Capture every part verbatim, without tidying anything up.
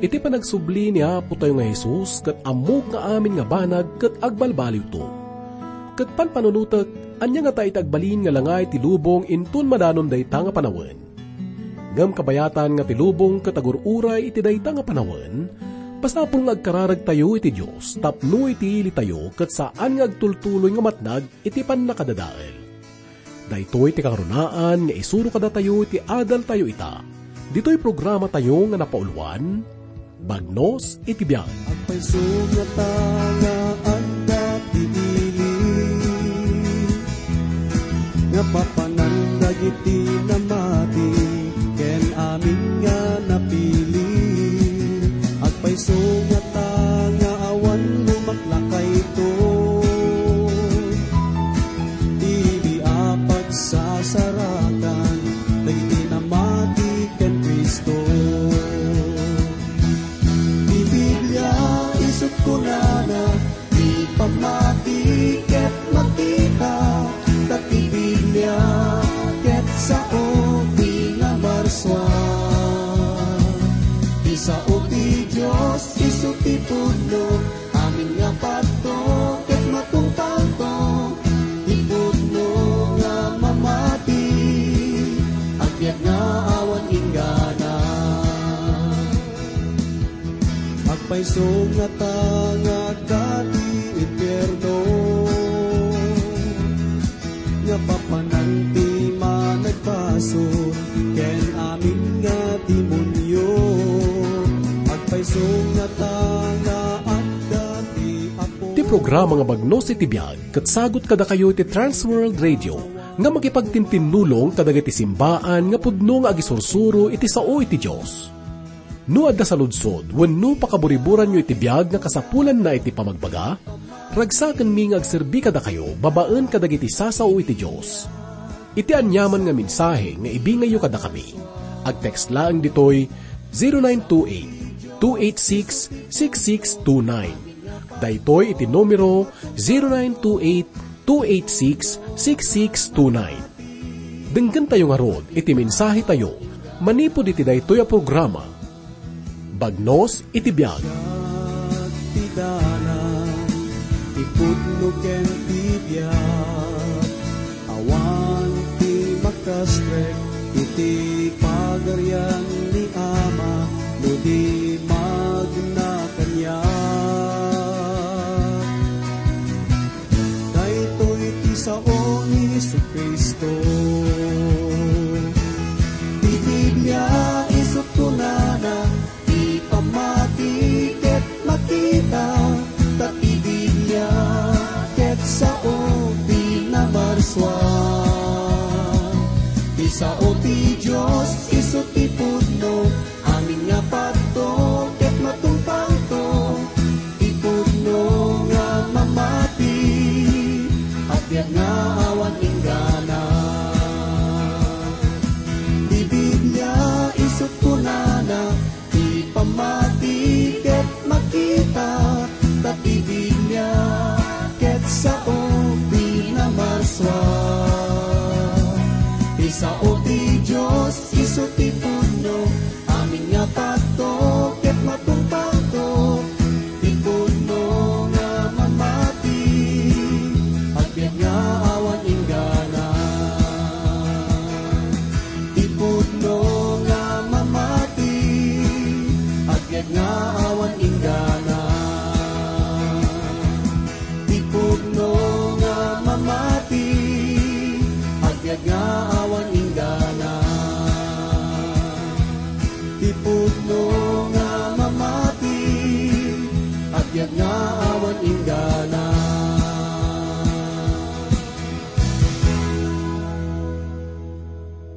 Iti panagsubli ni Apotayo nga Jesus ket ammok nga amin nga banag ket agbalbaliwto. Ket panpanunotek, ania ngata iti agbalin nga langay ti lubong inton madanon dayta nga panawen? Ngem kabayatan nga ti lubong ket agur-uray iti dayta nga panawen, masapul nga agkararagtayo iti Dios tapno iti ilitayo ket saan nga agtultuloy nga matnag iti pannakadadael. Daytoy ti kangrunaan nga isuro kadatayo iti adaltayo ita. Ditoy programatayo nga napauluan, Bagnos iti Biag. Agpayso ngata nga adda ti ili nga papanan dagiti namati ken amin nga napili. Agpayso ngata nga awan lumaklakayto. Idi a pagsasaratan dagiti namati ken Cristo. Ti Biblia isut' kunana, ti pammati ket makita, ta ti Biblia ket sao ti namarsua. Ti sao ti Dios isu ti pudno, amin nga patto ket matungpalto. Ti pudno nga mamati, agbiag nga awan inggana. Agpayso ngata nga agka ti impierno, nga papanan ti managbasol ken amin nga demonio. Agpayso ngata nga adda ti Apo. Ti programa nga Bagnos iti Biag ket sagut kadakayo iti Trans World Radio nga makipagtintinnulong kadagiti simbaan nga pudno nga agisursuro iti sao iti Dios. No adda saludsod wenno pakaburiburanyo iti biag nga kasapulanna iti pamagbaga, ragsakenmi nga agserbi kadakayo babaen kadagiti sasao iti Dios. Iti aniaman nga mensahe nga ibingayyo kadakami, agtext laeng ditoy zero nine two eight, two eight six, six six two nine. Daytoy iti numero zero nine two eight, two eight six, six six two nine. Denggentayo ngarud iti mensahetayo manipud iti daytoy a programa, Bagnos iti Biag. Ti dalan, ti pudno ken ti biag, awan ti makastrek iti Pagarian ni Ama no di magna kaniak. Daytoy ti sao ni Jesu-Cristo. Ti Biblia isut' kunana, ti pammati ket makita, ta ti Biblia ket sao ti namarsua. Ti sao ti Dios isu ti pudno, amin nga patto ket matungpalto. Ti pudno nga mamati, agbiag nga awan inggana. Ti Biblia isut' kunana, ti pammati ket makita, ta ti Biblia ket sao ti namarsua. Ti sao ti Dios isu ti pudno, amin nga patto ket matungpalto. Ti pudno nga mamati, agbiag nga awan inggana. Ti pudno nga mamati, agbiag nga awan inggana. Ti pudno nga mamati, agbiag nga awan inggana. Ti pudno nga mamati, agbiag nga awan inggana.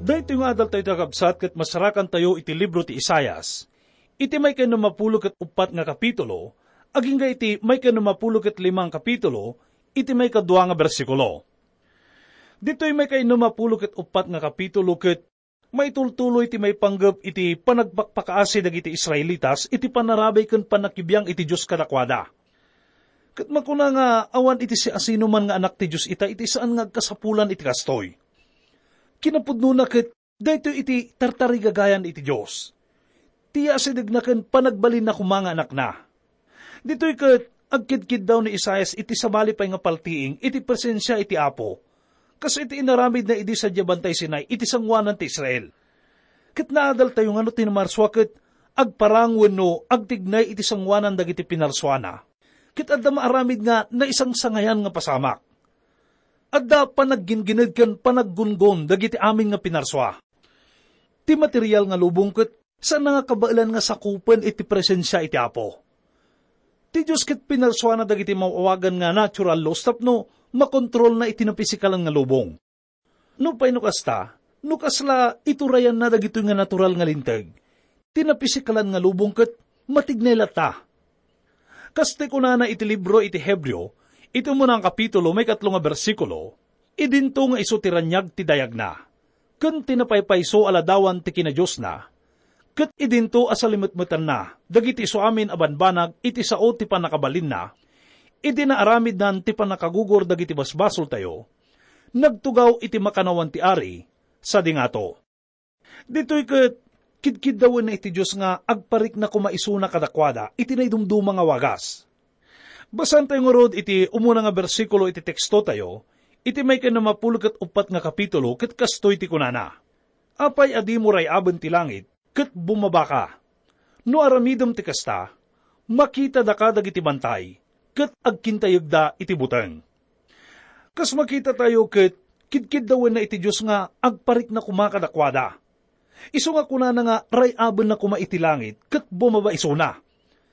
Daytoy nga adaltayo, kakabsat, ket masarakantayo iti libro ti Isaias. Iti maikainnumapulo ket uppat nga kapitulo, agingga iti maikainnumapulo ket lima nga kapitulo, iti maikadua nga bersikulo. Ditoy maikainnumapulo ket uppat nga kapitulo ket maitultuloy ti maipanggep iti panagpakpakaasi dagiti Israelitas iti panarabay ken pannakibiang iti Dios kadakuada. Ket makuna nga awan iti siasinoman nga anak ti Dios ita iti saan nga agkasapulan iti kastoy. Kinapudnona ket daytoy iti tartarigagayan iti Dios. ti asidegna ken panagbalinna koma nga anakna. Ditoy ket agkidkiddaw ni Isaias iti sabali pay nga paltiing iti presensia iti Apo, kas iti inaramidna idi sadiay Bantay Sinai iti sangoanan ti Israel. Ket naadaltayo nga no ti namarsua ket agparang wenno agtignay iti sangoanan dagiti pinarsuana, ket adda maaramid nga naisangsangayan nga pasamak. Adda panagginggined ken panaggungon dagiti amin nga pinarsua. Ti material nga lubong ket saan nga kabaelan nga sakupen iti presensia iti Apo. Ti Dios ket pinarsuana dagiti maawagan nga natural laws tapno makontrolna iti napisikalan nga lubong. Nupay no kasta, no kasla iturayanna dagitoy nga natural nga linteg, ti napisikalan nga lubong ket matignay latta. Kas ti kunana iti libro iti Hebreo, iti umuna nga kapitulo, maikatlo nga bersikulo, idinto nga isu ti raniag ti dayagna, ken ti napaypayso a ladawan ti kinadiosna, ket idinto a salimetmetanna dagiti isu amin a banbanag iti sao ti pannakabalinna, idi naaramidnan ti pannakagugor dagiti basbasoltayo, nagtugaw iti makannawan ti ari, sadi ngato. Ditoy ket, kidkiddawenna iti Dios nga agparikna koma isuna kadakuada iti naidumduma nga wagas. Basaentayo ngarud iti umuna nga bersikulo iti tekstotayo, iti maikannamapulo ket uppat nga kapitulo, ket kastoy ti kunana, "Apay a dimo ray-aben ti langit, ket bumabaka? No aramidem ti kasta, makitadaka dagiti bantay, ket agkintayegda iti buteng." Kas makitatayo ket, kidkiddawenna iti Dios nga agparikna koma kadakuada. Isu nga kunana nga ray-abenna koma iti langit ket bumaba isuna,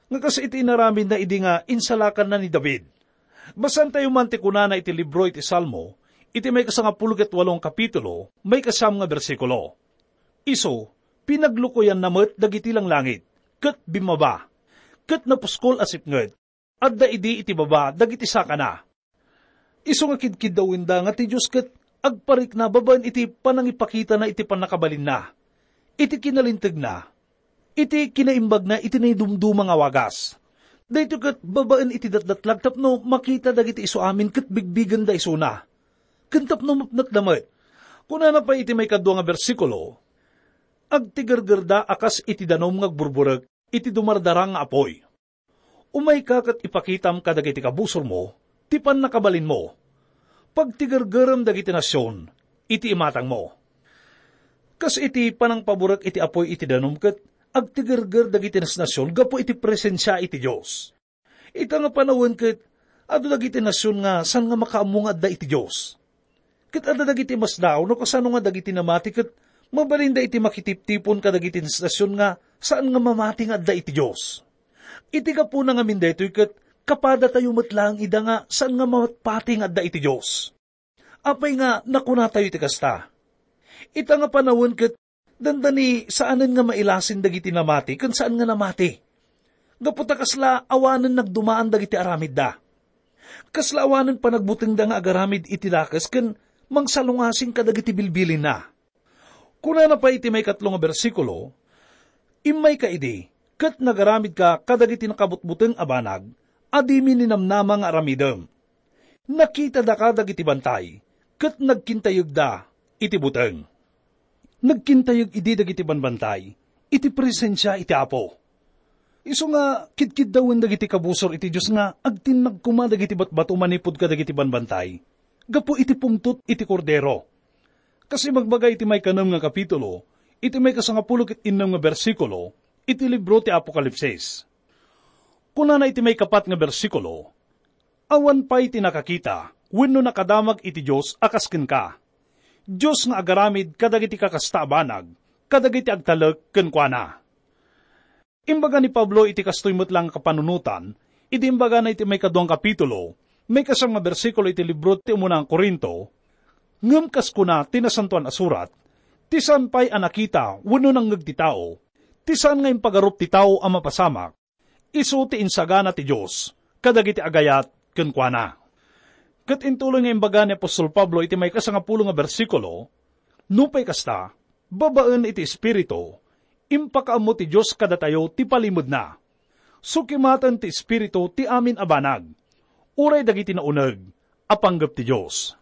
nga kas iti inaramidna idi nga insalakanna ni David. Basaentayo man ti kunana iti libro iti Salmo, iti maikasangapulo ket walo nga kapitulo, maikasiam nga bersikulo. Isu, pinaglukoyanna met dagiti langlangit, ket bimmaba, ket napuskol a sipnget, adda idi iti baba dagiti sakana. Isu nga kidkiddawenda nga ti Dios ket agparikna babaen iti panangipakitana iti pannakabalinna, iti kinalintegna, iti kinaimbagna iti naidumduma nga wagas. Daytoy ket babaen iti datdatlag tapno makita dagiti isu amin ket bigbigenda isuna, ken tapno mapnekda met. Kunana pay iti maikadua nga bersikulo, "Agtigergerda a kas iti danum nga agburburek iti dumardarang nga apuy." Umayka ket ipakitam kadagiti kabusormo ti pannakabalinmo. Pagtigergerem dagiti nasion iti imatangmo. Kas iti panangpaburek iti apuy iti danum ket agtigerger dagiti nasnasion gapu iti presensia iti Dios. Ita nga panawen ket adu dagiti nasion nga saan nga makaammo nga adda iti Dios. Ket adda dagiti masdaaw no kasano nga dagiti namati ket mabalinda iti makitiptipon kadagiti nasnasion nga saan nga mamati nga adda iti Dios. Iti gapuna ngamin daytoy ket kapadatayo met laeng ida nga saan nga mapatpati nga adda iti Dios. Apay nga nakunatayo iti kasta? Ita nga panawen ket dandani saanen nga mailasin dagiti namati ken saan nga namati. Gapu ta kasla awanen nagdumaan dagiti aramidda. Kasla awanen panagbutengda nga agaramid iti dakes ken mangsalungasing kadagiti bilbilinna. Kunana pay iti maikatlo nga bersikulo, "Immayka idi, ket nagaramidka kadagiti nakabutbuteng a banag a dimi ninamnama nga aramidem. Nakitadaka dagiti bantay, ket nagkintayegda iti buteng." Nagkintayeg idi dagiti banbantay iti presensia iti Apo. Isu nga kidkiddawen dagiti kabusor iti Dios nga agtinnag koma dagiti batbato manipud kadagiti banbantay gapu iti pungtot iti Kordero. Kas ibagbaga iti maikanem nga kapitulo, iti maikasangapulo ket innem nga bersikulo iti libro ti Apokalipsis. Kunana iti maikapat nga bersikulo, "Awan pay ti nakakita wenno nakadamag iti Dios a kas kenka, Dios nga agaramid kadagiti kakasta a banag kadagiti agtalek kenkuana." Imbaga ni Pablo iti kastoy met la nga kapanunotan, idi imbagana iti maikadua nga kapitulo, maikasiam nga bersikulo iti libro ti umuna nga Corinto, "Ngem kas kuna ti Nasantoan a Surat, ti saan pay a nakita wenno nangngeg ti tao, ti saan nga impagarup ti tao a mapasamak, isu ti insagana ti Dios kadagiti agayat kenkuana." Ket intuloy nga imbaga ni apostol Pablo iti maikasangapulo nga bersikulo, "Nupay kasta, babaen iti Espiritu, impakaammo ti Dios kadatayo ti palimedna. Sukimaten ti Espiritu ti amin a banag, uray dagiti nauneg a panggep ti Dios."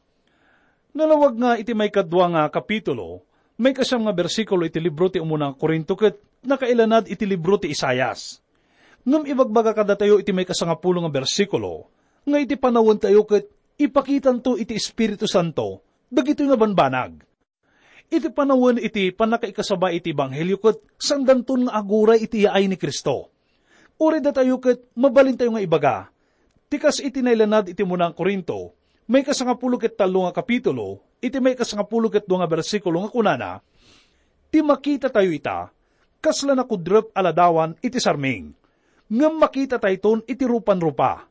Nalawag nga iti maikadua nga kapitulo, maikasiam nga bersikulo iti libro ti umuna nga Corinto ket nakailanad iti libro ti Isaias. Ngem ibagbaga kadatayo iti maikasangapulo nga bersikulo nga iti panawentayo ket ipakitanto iti Espiritu Santo dagitoy nga banbanag. Iti panawen iti pannakaikasaba iti ebanghelio ket saandanton nga aguray iti yaay ni Cristo. Uray datayo ket mabalintayo nga ibaga, ti kas iti nailanad iti umuna nga Corinto, maikasangapulo ket tallo nga kapitulo, iti maikasangapulo ket dua nga bersikulo nga kunana, "Ti makitatayo ita, kasla nakudrep a ladawan iti sarming, ngem makitatayton iti rupanrupa.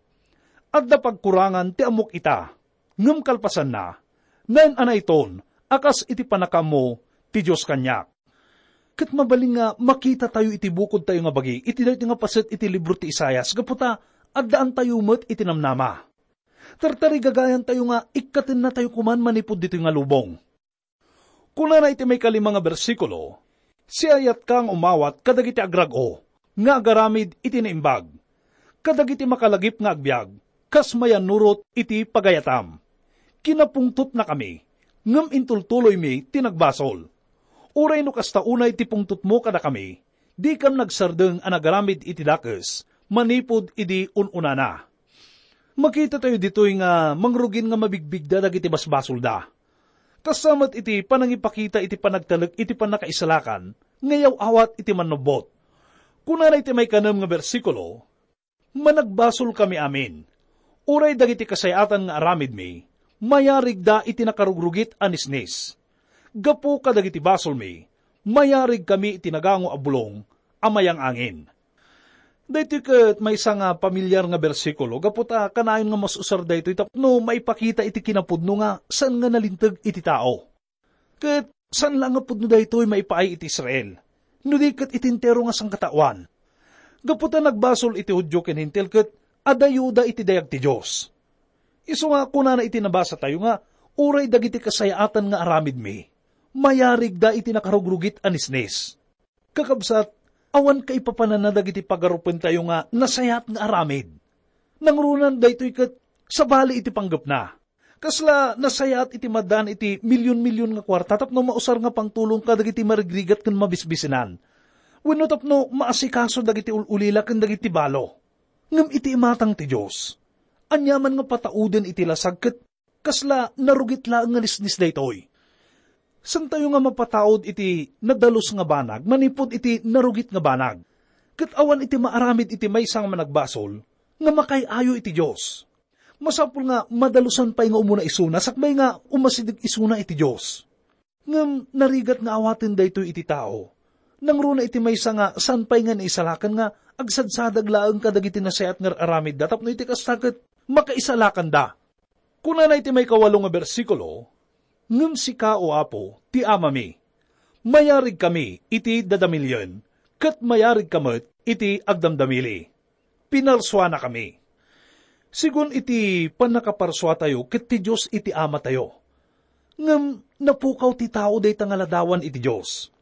Adda pagkurangan ti ammok ita." Ngem kalpasanna, naan-anayton a kas iti pannakaammo ti Dios kaniak. Ket mabalin nga makitatayo iti bukodtayo nga bagi iti daytoy nga paset iti libro ti Isaias gapu ta addaantayo met iti namnama. Tartarigagayantayo nga ikkatennatayo koman manipud ditoy nga lubong. Kunana iti maikalima nga bersikulo, "Siayatka nga umawat kadagiti agrag-o nga agaramid iti naimbag, kadagiti makalagip nga agbiag kas mayannurot iti pagayatam. Kinapungtotnakami, ngem intultuloymi ti nagbasol. Uray no kasta unay ti pungtotmo kadakami, dikam nagsardeng a nagaramid iti dakes manipud idi un-unana." Makitatayo ditoy nga mangrugin nga mabigbigda dagiti basbasolda. Kasta met iti panangipakita iti panagtalek iti pannakaisalakan nga iyaw-awat iti mannubbot. Kunana iti maikanem nga bersikulo, "Managbasolkami amin. Uray dagiti kasayaatan nga aramidmi, mayarigda iti nakarugrugit a nisnis. Gapu kadagiti basolmi, mayarigkami iti nagango a bulong a mayang-angin." Daytoy ket maysa nga pamilyar nga bersikulo gapu ta kanayon nga mas-usar daytoy tapno maipakita iti kinapudno nga saan nga nalinteg iti tao. Ket saan la nga pudno daytoy maipaay iti Israel, no di ket iti entero nga sangkataoan. Gapu ta nagbasol iti Judio ken Hentil ket adayoda iti dayag ti Dios. Isu nga kunana iti nabasatayo nga uray dagiti kasayaatan nga aramidmi, mayarigda iti nakarugrugit a nisnis. Kakabsat, awan kaipapananna dagiti pagarupentayo nga nasayaat nga aramid. Nangruna daytoy ket sabali iti panggepna. Kasla nasayaat iti madan iti milyon-milyon nga kuarta tapno mausar nga pangtulong kadagiti marigrigat ken mabisbisinan. Wenno tapno maasikaso dagiti ul-ulila ken dagiti balo. Ngem iti imatang ti Dios, aniaman nga patauden iti lasag ket kasla narugit laeng nga nisnis daytoy. Saantayo nga mapataud iti nadalus nga banag manipud iti narugit nga banag, ket awan iti maaramid iti maysa nga managbasol nga makaay-ayo iti Dios. Masapul nga madalusan pay nga umuna isuna sakbay nga umasideg isuna iti Dios. Ngem narigat nga awaten daytoy iti tao. Nangruna iti maysa nga saan pay nga naisalakan nga agsadsadag laeng kadagiti nasayaat nga ar-aramidda tapno iti kasta ket makaisalakanda. Kunana iti maikawalo nga bersikulo, "Ngem sika, O Apo, ti Amami. Mayarigkami iti dadamilien, ket mayarigka met iti agdamdamili. Pinarsuanakami." Sigun iti pannakaparsuatayo ket ti Dios iti Amatayo. Ngem napukaw ti tao dayta nga ladawan iti Dios.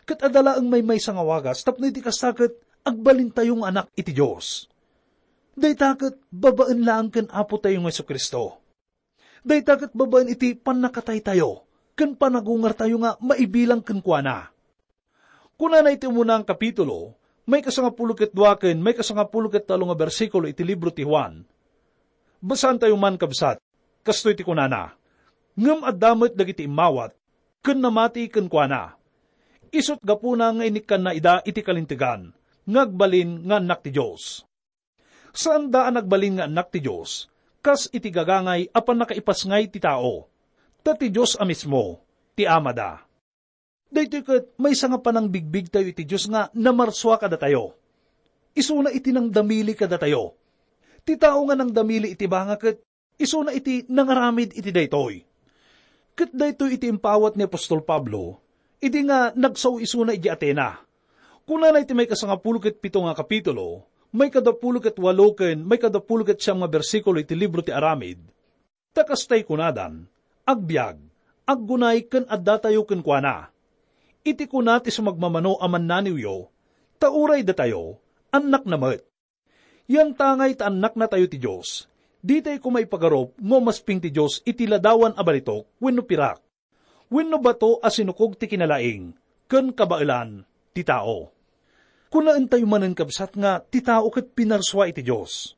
Ket adda laeng maymaysa nga wagas tapno iti kasta ket agbalintayo nga anak iti Dios. Dayta ket babaen laeng ken Apotayo nga Jesu-Cristo. Dayta ket babaen iti pannakataytayo ken panagungartayo nga maibilang kenkuana. Kunana iti umuna nga kapitulo, maikasangapulo ket dua ken maikasangapulo ket tallo nga bersikulo iti libro ti Juan. Basaantayo man, kabsat, kastoy ti kunana, "Ngem adda met dagiti immawat ken namati kenkuana. Isut' gapuna nga inikkanna ida iti kalintegan nga agbalin nga annak ti Dios." Saanda a nagbalin nga annak ti Dios, kas iti gagangay a pannakaipasngay ti tao, ta ti Dios a mismo ti Amada. Daytoy ket maysa nga panangbigbigtayo iti Dios nga namarsua kadatayo. Isuna iti nangdamili kadatayo. Ti tao nga nangdamili iti banga ket isuna iti nangaramid iti daytoy. Ket daytoy iti impawat ni apostol Pablo, idi nga nagsao isuna idiay Atena. Kunana iti maikasangapulo ket pito nga kapitulo, maikadapulo ket walo ken maikadapulo ket siam nga bersikulo iti libro ti Aramid, "Ta kastay kunadan, agbiag, aggunay ken addatayo kenkuana. Iti kuna ti sumagmamano a mannaniwyo, ta uray datayo, annakna met. Yantangay ta annaknatayo ti Dios, ditay koma ipagarup no umasping ti Dios iti ladawan a balitok wenno pirak, wenno bato a sinukog ti kinalaing ken kabaelan ti tao." Kunaentayo manen, kabsat, nga ti tao ket pinarsua iti Dios.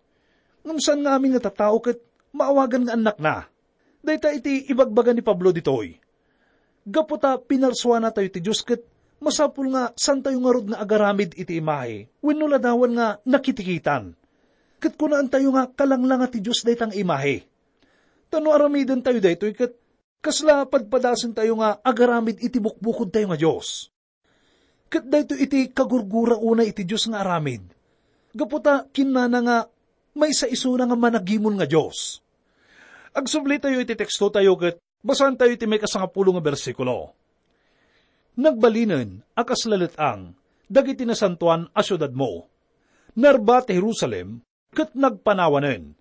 Ngem saan nga amin nga tattao ket maawagan nga annakna. Dayta iti ibagbaga ni Pablo ditoy. Gapu ta pinarsuanatayo ti Dios ket masapul nga saantayo ngarud nga agaramid iti imahe wenno ladawan nga nakitikitan. Ket kunaentayo nga kalanglanga ti Dios dayta nga imahe. Ta no aramidentayo daytoy ket kasla padpadasentayo nga agaramid iti bukbukodtayo nga Dios. Ket daytoy iti kagurgura unay iti Dios nga aramid. Gapu ta kinnana nga maysa isuna nga managimon nga Dios. Agsublitayo iti tekstotayo ket basaentayo iti maikasangapulo nga bersikulo. Nagbalinen a kasla let-ang dagiti nasantoan a siudadmo. Narba ti Jerusalem ket nagpanawanen.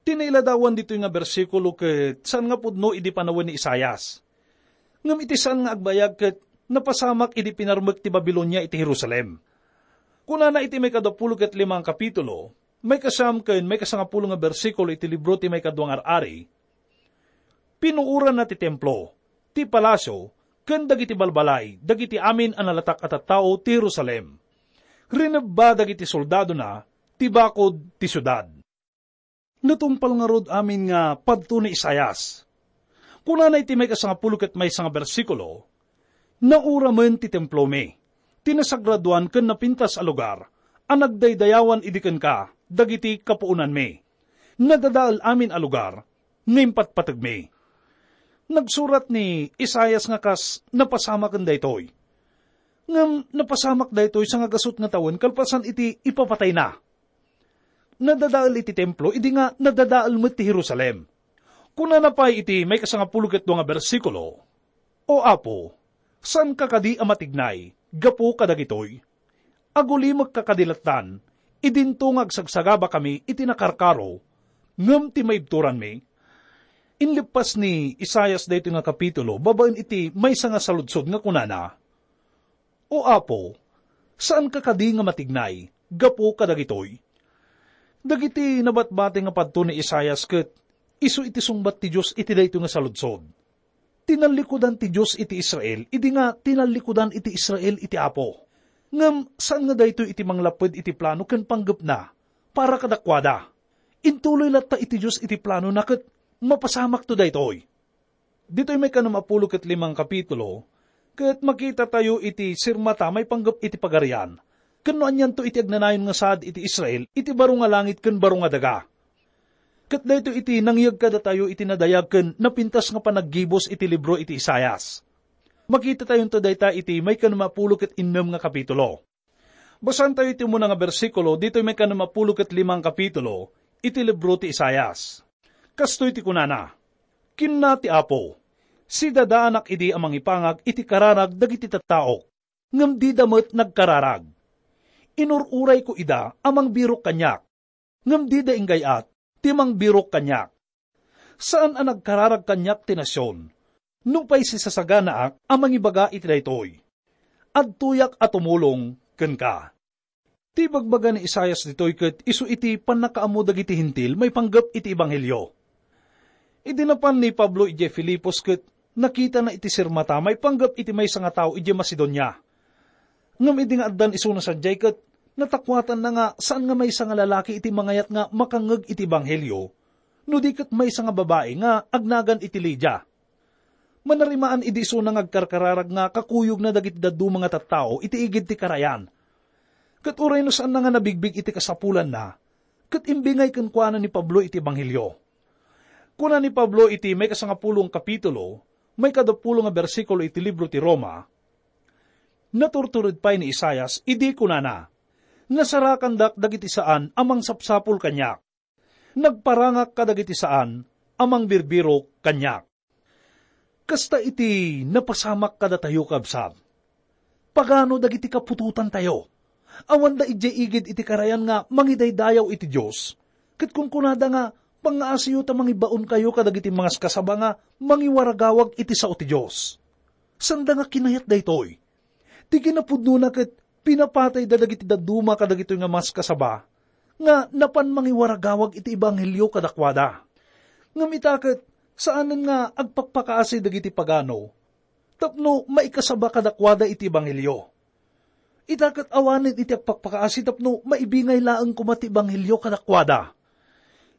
Ti nailadawan ditoy nga bersikulo ket saan nga pudno idi panawen ni Isaias. Ngem iti saan nga agbayag ket napasamak idi pinarmek ti Babilonia iti Jerusalem. Kunana iti maikadapulo ket lima nga kapitulo, maikasiam ken maikasangapulo nga bersikulo iti libro ti Maikadua nga Ar-ari, "Pinuoranna ti templo, ti palasio, ken dagiti balbalay dagiti amin a nalatak a tattao ti Jerusalem. Rinebba dagiti soldadona ti bakod ti siudad." Natungpal ngarud amin nga padto ni Isaias. Kunana iti maikasangapulo ket maysa nga bersikulo, "Nauramen ti templomi, ti nasagradoan ken napintas a lugar a nagdaydayawan idi kenka dagiti kapuonanmi. Nadadael amin a lugar nga impatpategmi." Nagsurat ni Isaias nga kas napasamaken daytoy. Ngem napasamak daytoy sangagasut nga tawen kalpasan iti ipapatayna. Nadadael iti templo idi nga nadadael met ti Jerusalem. Kunana pay iti maikasangapulo ket dua nga bersikulo, "O Apo, saanka kadi a matignay gapu kadagitoy? Agulimekka kadi lattan idinto nga agsagsagabakami iti nakarkaro ngem ti maibturanmi?" Inleppas ni Isaias daytoy nga kapitulo babaen iti maysa nga saludsod nga kunana, "O Apo, saanka kadi nga matignay gapu kadagitoy?" Dagiti nabatbati nga padto ni Isaias ket isu iti sungbat ti Dios iti daytoy nga saludsod. Tinallikudan ti Dios iti Israel idi nga tinallikudan iti Israel iti Apo. Ngem saan nga daytoy iti manglapped iti plano ken panggepna para kadakuada. Intuloy latta iti Dios iti planona ket mapasamakto daytoy. Ditoy maikanem a pulo ket lima nga kapitulo, ket makitatayo iti sirmata maipanggep iti Pagarian, ken no anianto iti agnanayon nga saad iti Israel iti baro nga langit ken baro nga daga. Ket daytoy iti nangyeg kadatayo iti nadayag ken napintas nga panaggibus iti libro iti Isaias. Makitatayonto dayta iti maikanem a pulo ket innem nga kapitulo. Basaentayo iti umuna nga bersikulo ditoy maikanem a pulo ket lima nga kapitulo iti libro ti Isaias. Kastoy ti kunana, "Kinuna ti Apo, 'Sidadaanak idi a mangipangag iti kararag dagiti tattaok, ngem dida met nagkararag. Inur-urayko ida a mangbirok kaniak, ngem dida inggay-at ti mangbirok kaniak. Saan a nagkararag kaniak ti nasion, nupay sisasaganaak a mangibaga iti daytoy, 'Adtoyak a tumulong kenka.'" Ti ibagbaga ni Isaias ditoy ket isu iti pannakaammo dagiti Hentil maipanggep iti ebanghelio. Idi napan ni Pablo idiay Filipos ket nakitana iti sirmata maipanggep iti maysa nga tao idiay Macedonia. Ngem idi nga addan isuna sadiay ket natakuatanna nga saan nga maysa nga lalaki iti mangayat nga makangngeg iti ebanghelio, no di ket maysa nga babai nga agnagan iti Lidia. Manarimaan idi isuna nga agkarkararag nga kakuyogna dagiti dadduma nga tattao iti igid ti karayan. Ket uray no saanna nga nabigbig iti kasapulanna, ket imbingay kenkuana ni Pablo iti ebanghelio. Kuna ni Pablo iti maikasangapulo nga kapitulo, maikadapulo nga bersikulo iti libro ti Roma, Naturtured pay ni Isaias idi kunana, "Nasarakandak dagiti saan a mangsapsapul kaniak. Nagparangak kadagiti saan a mangbirbirok kaniak." Kasta iti napasamak kadatayo, kabsat. Pagano dagiti kaputotantayo? Awanda idiay igid iti karayan nga mangidaydayaw iti Dios, ket kunkunada nga, "Pangngaasiyo ta mangibaonkayo kadagiti mangaskasaba nga mangiwaragawag iti sao ti Dios." Sanda nga kinayat daytoy. Ti kinapudnona ket pinapatayda dagiti dadduma kadagitoy nga maskasaba nga napan mangiwaragawag iti ebanghelio kadakuada. Ngem ita ket saanen nga agpakpakaasi dagiti pagano tapno maikasaba kadakuada iti ebanghelio. Ita ket awanen iti agpakpakaasi tapno maibingay laeng koma ti ebanghelio kadakuada.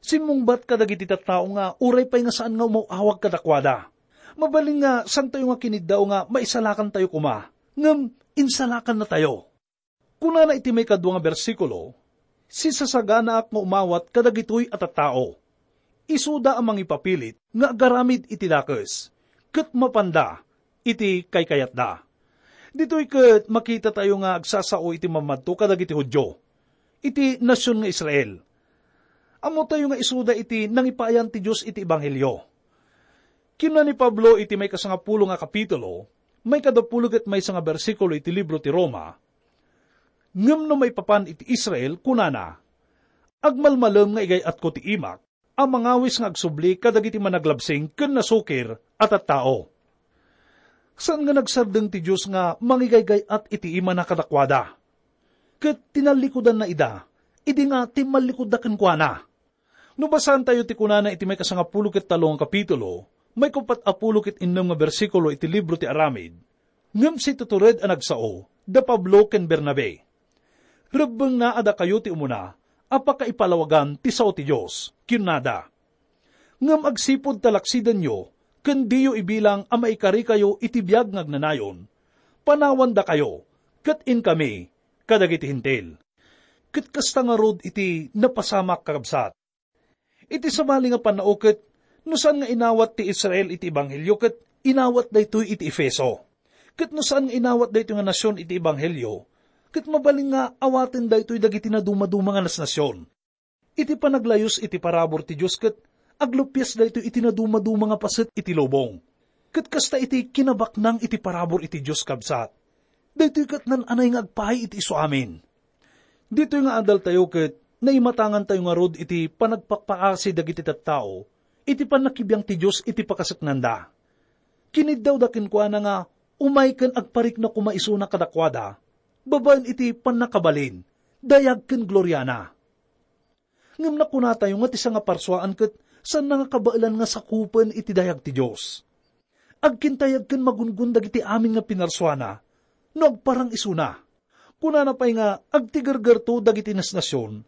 Simmungbat kadagiti tattao nga uray pay nga saan nga umaw-awag kadakuada. Mabalin nga santayo nga kiniddaw nga maisalakantayo koma, ngem insalakannatayo. Kunana iti maikadua nga bersikulo, "Sisasaganaak nga umawat kadagitoy a tattao. Isuda a mangipapilit nga agaramid iti dakes, ket mapanda iti kaykayatda." Ditoy ket makitatayo nga agsasao iti mamadto kadagiti Judio, iti nasion nga Israel. Ammotayo nga isuda iti nangipayan ti Dios iti ebanghelio. Kinuna ni Pablo iti maikasangapulo nga kapitulo, maikadapulo ket maysa nga bersikulo iti libro ti Roma, "Ngem no maipapan iti Israel, kunana, 'Agmalmalem nga igay-atko ti imak a mangawis nga agsubli kadagiti managlabsing ken nasukir a tattao.'" Saan nga nagsardeng ti Dios nga mangigaygay-at iti imana kadakuada. Ket tinallikudanna ida, idi nga timmallikudda kenkuana. No basaantayo ti kunana iti maikasangapulo ket tallo nga kapitulo, maikuppat a pulo ket innem nga bersikulo iti libro ti Aramid, "Ngem situtured a nagsao da Pablo ken Bernabe. Rebbengna a dakayo ti umuna a pakaipalawagan ti sao ti Dios," kinunada. "Ngem agsipud ta laksidenyo ken diyo ibilang a maikarikayo iti biag nga agnanayon, panawandakayo, ket inkami kadagiti Hentil." Ket kasta ngarud iti napasamak, kakabsat. Iti sabali nga pannao ket, no saan nga inawat ti Israel iti ebanghelio ket inawat daytoy iti Efeso. Ket no saan nga inawat daytoy nga nasion iti ebanghelio, ket mabalin nga awaten daytoy dagiti nadumaduma nga nasnasion. Iti panaglayus iti parabur ti Dios ket aglupias daytoy iti nadumaduma nga paset iti lubong. Ket kasta iti kinabaknang iti parabur iti Dios, kabsat. Daytoy ket naan-anay nga agpaay iti isuamin. Ditoy nga adaltayo ket naimatangantayo ngarud iti panagpakpaasi dagiti tattao iti pannakibiang ti Dios iti pakaseknanda. Kiniddawda kenkuana nga umay ken agparikna koma isuna kadakuada, babaen iti pannakabalin, dayag ken gloriana. Ngem nakunatayo nga ti sangaparsuaan ket saanna nga kabaelan nga sakupen iti dayag ti Dios. Agkintayag ken magungon dagiti amin nga pinarsuana no agparang isuna. Kunana pay nga agtigergerto dagiti nasnasion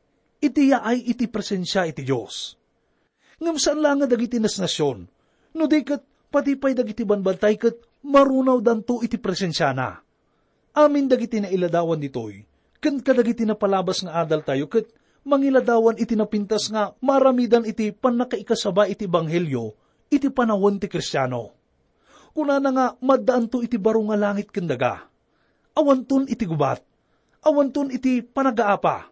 iti yaay iti presensia iti Dios. Ngem saan laeng nga dagiti nasnasion, no di ket padi pay dagiti banbantay ket marunawdanto iti presensiana. Amin dagiti nailadawan ditoy, ken kadagiti napalabas nga adaltayo ket mangiladawan iti napintas nga maaramidan iti pannakaikasaba iti ebanghelio iti panawen ti Kristiano. Kunana nga maddaanto iti baro nga langit ken daga. Awanton iti gubat. Awanton iti panagaapa.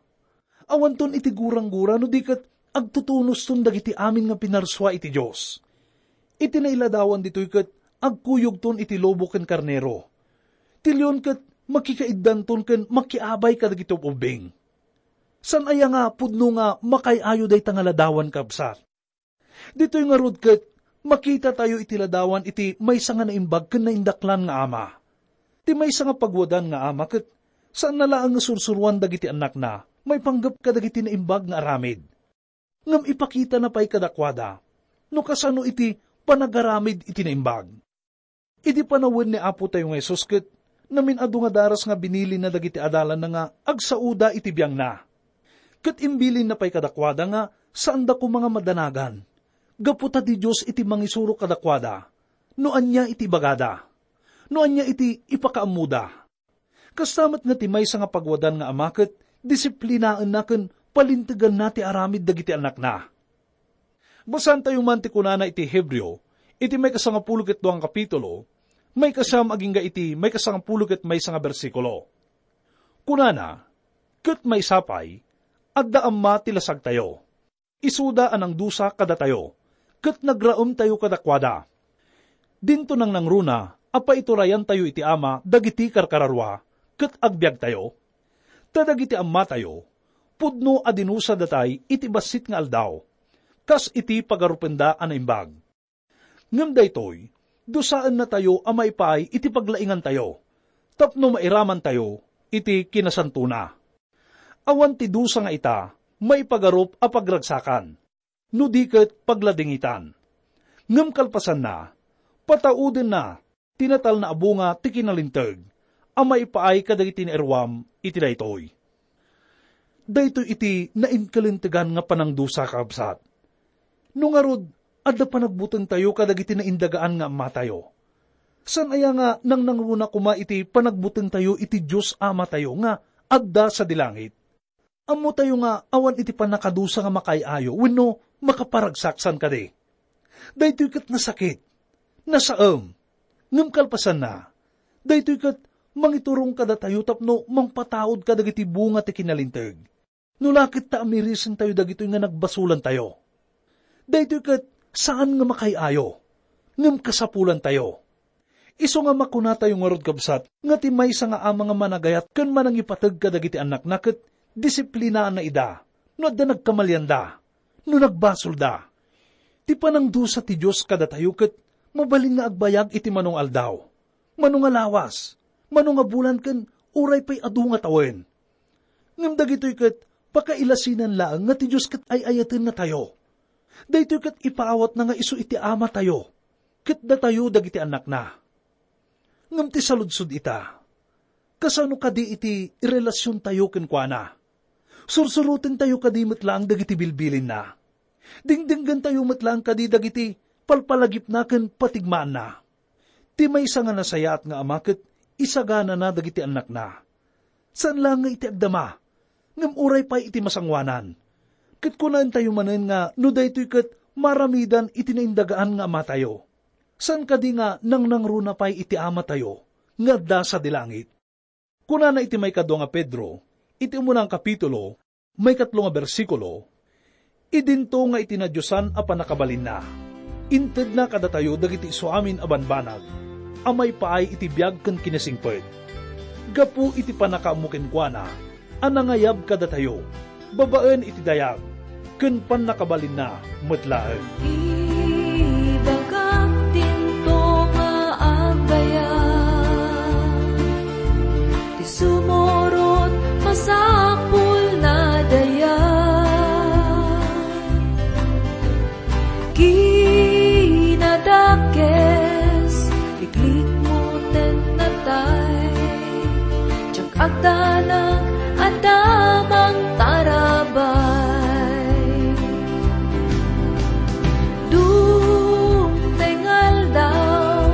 Awanton iti guranggura no di ket agtutunoston dagiti amin nga pinarsua iti Dios. Iti nailadawan ditoy ket agkuyogton iti lobo ken karnero. Ti leon ket makikaiddanton ken makiabay kadagiti ub-ubbing. Saan aya nga pudno nga makaay-ayo dayta nga ladawan, kabsat? Ditoy ngarud ket makitatayo iti ladawan iti maysa nga naimbag ken naindaklan nga ama. Ti maysa nga pagwadan nga ama ket saanna laeng nga sursuroan dagiti annakna maipanggep kadagiti naimbag nga aramid. Ngem ipakitana pay kadakuada no kasano iti panagaramid iti naimbag. Idi panawen ni Apotayo nga Jesus ket namin-adu nga daras nga binilinna dagiti adalanna nga agsaoda iti biangna. Ket imbilinna pay kadakuada nga saanda koma nga madanagan, gapu ta ti Dios iti mangisuro kadakuada no ania iti ibagada, no ania iti ipakaammoda. Kasta met nga ti maysa nga pagwadan nga ama ket disiplinaenna ken palinteganna ti aramid dagiti annakna. Basaantayo man ti kunana iti Hebreo, iti maikasangapulo ket dua nga kapitulo, maikasiam agingga iti maikasangapulo ket maysa nga bersikulo. Kunana, "Ket maysa pay, adda amma ti lasagtayo. Isuda a nangdusa kadatayo, ket nagraemtayo kadakuada. Dinto nangnangruna a paiturayantayo iti Ama dagiti karkararua, ket agbiagtayo. Ta dagiti ammatayo, pudno a dinusadatay iti bassit nga aldaw, kas iti pagarupenda a naimbag. Ngem daytoy, dusaennatayo a maipaay iti paglaingantayo, tapno mairamantayo iti kinasantona. Awan ti dusa nga ita maipagarup a pagragsakan, no di ket pagladingitan. Ngem kalpasanna, pataudenna ti natalna a bunga ti kinalinteg, a maipaay kadagiti nairruam iti daytoy. Daytoy iti nainkalintegan nga panangdusa, kakabsat. No ngarud, adda panagbutengtayo kadagiti naindagaan nga amatayo. Saan aya nga nangnangruna koma iti panagbutengtayo iti Dios Amatayo nga adda sadi langit? Ammotayo nga awan iti pannakadusa nga makaay-ayo wenno makaparagsak, saan kadi? Daytoy ket nasakit, nasaem, ngem kalpasanna, daytoy ket mangiturong kadatayo tapno mangpataud kadagiti bunga ti kinalinteg. No la ket ta amirisentayo dagitoy nga nagbasolantayo. Daytoy ket saan nga makaay-ayo, ngem kasapulantayo. Isu nga makunatayo ngarud, kabsat, nga ti maysa nga ama nga managayat ken manangipateg kadagiti annakna ket disiplinaanna ida no adda nagkamalianda, no nagbasolda. Ti panangdusa ti Dios kadatayo ket mabalin nga agbayag iti mano nga aldaw, mano nga lawas, mano nga bulan ken uray pay adu nga tawen. Ngem dagitoy ket pakailasinan laeng nga ti Dios ket ay-ayatennatayo. Daytoy ket ipaawatna nga isu iti Amatayo, ket datayo dagiti annakna. Ngem ti saludsod ita, kasano kadi iti relasiontayo kenkuana? Sursurotentayo kadi met laeng dagiti bilbilinna? Dingdinggentayo met laeng kadi dagiti palpalagipna ken patigmaanna? Ti maysa nga nasayaat nga ama ket isaganana dagiti annakna. Saan laeng nga iti agdama, ngem uray pay iti masangoanan. Ket kunaentayo manen nga no daytoy ket maaramidan iti naindagaan nga amatayo, saan kadi nga nangnangruna pay iti Amatayo nga adda sadi langit? Kunana iti maikadua nga Pedro, iti umuna nga kapitulo, maikatlo nga bersikulo, idinto nga iti nadiosan a pannakabalinna, intedna kadatayo dagiti isuamin a banbanag a maipaay iti biag ken kinasingpet. Gapu iti pannakaammo kenkuana a nangayab kadatayo babaen iti dayag ken pannakabalinna met laeng. Ibagak dinto nga agayam, ti sumurot masapulna dayag. Kinadakes, iklikmo ten natay. Diak agdanag a damang tarabay. Dumteng aldaw,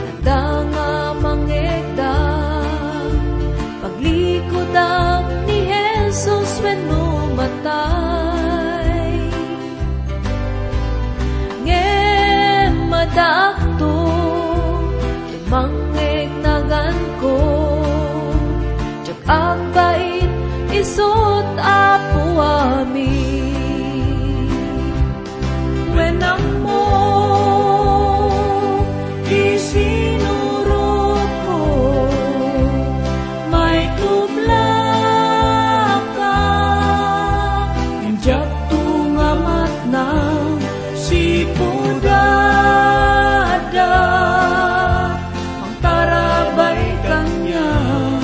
adda nga mangegda. Paglikudak ni Jesus wenno matay. Ngem addaakto, mangngegnaganko, diak agbait isut' Apo amin. Wen ammo ti sinurotko, maitublaka, ngem diakto nga matnang sipud adda. Mangtarabay kaniak,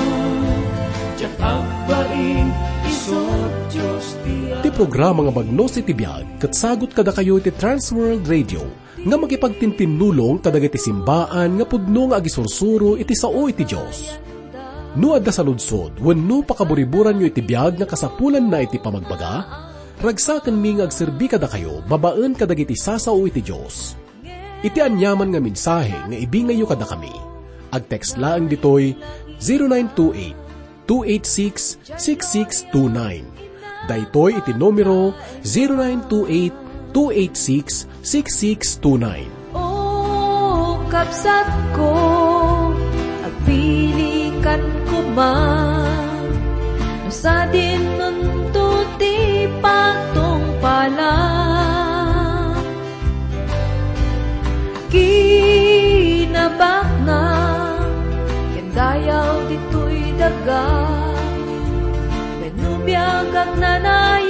diak agbain, isut' Dios ti Ti programa nga Bagnos iti Biag ket sagut kadakayo iti Trans World Radio nga makipagtintinnulong kadagiti simbaan nga pudno nga agisursuro iti sao iti Dios. No adda saludsod wenno pakaburiburanyo iti biag nga kasapulanna iti pamagbaga, ragsakenmi nga agserbi kadakayo babaen kadagiti sasao iti Dios. Iti aniaman nga mensahe nga ibingayyo kadakami, agtext laeng ditoy zero nine two eight, two eight six, six six two nine. Daytoy iti numero, zero nine two eight, two eight six, six six two nine. O kabsatko, agpilikan koma, no sadinonto ti patungpalak. Kinabaknang ken dayaw ditoy daga, wenno biag agnanayon.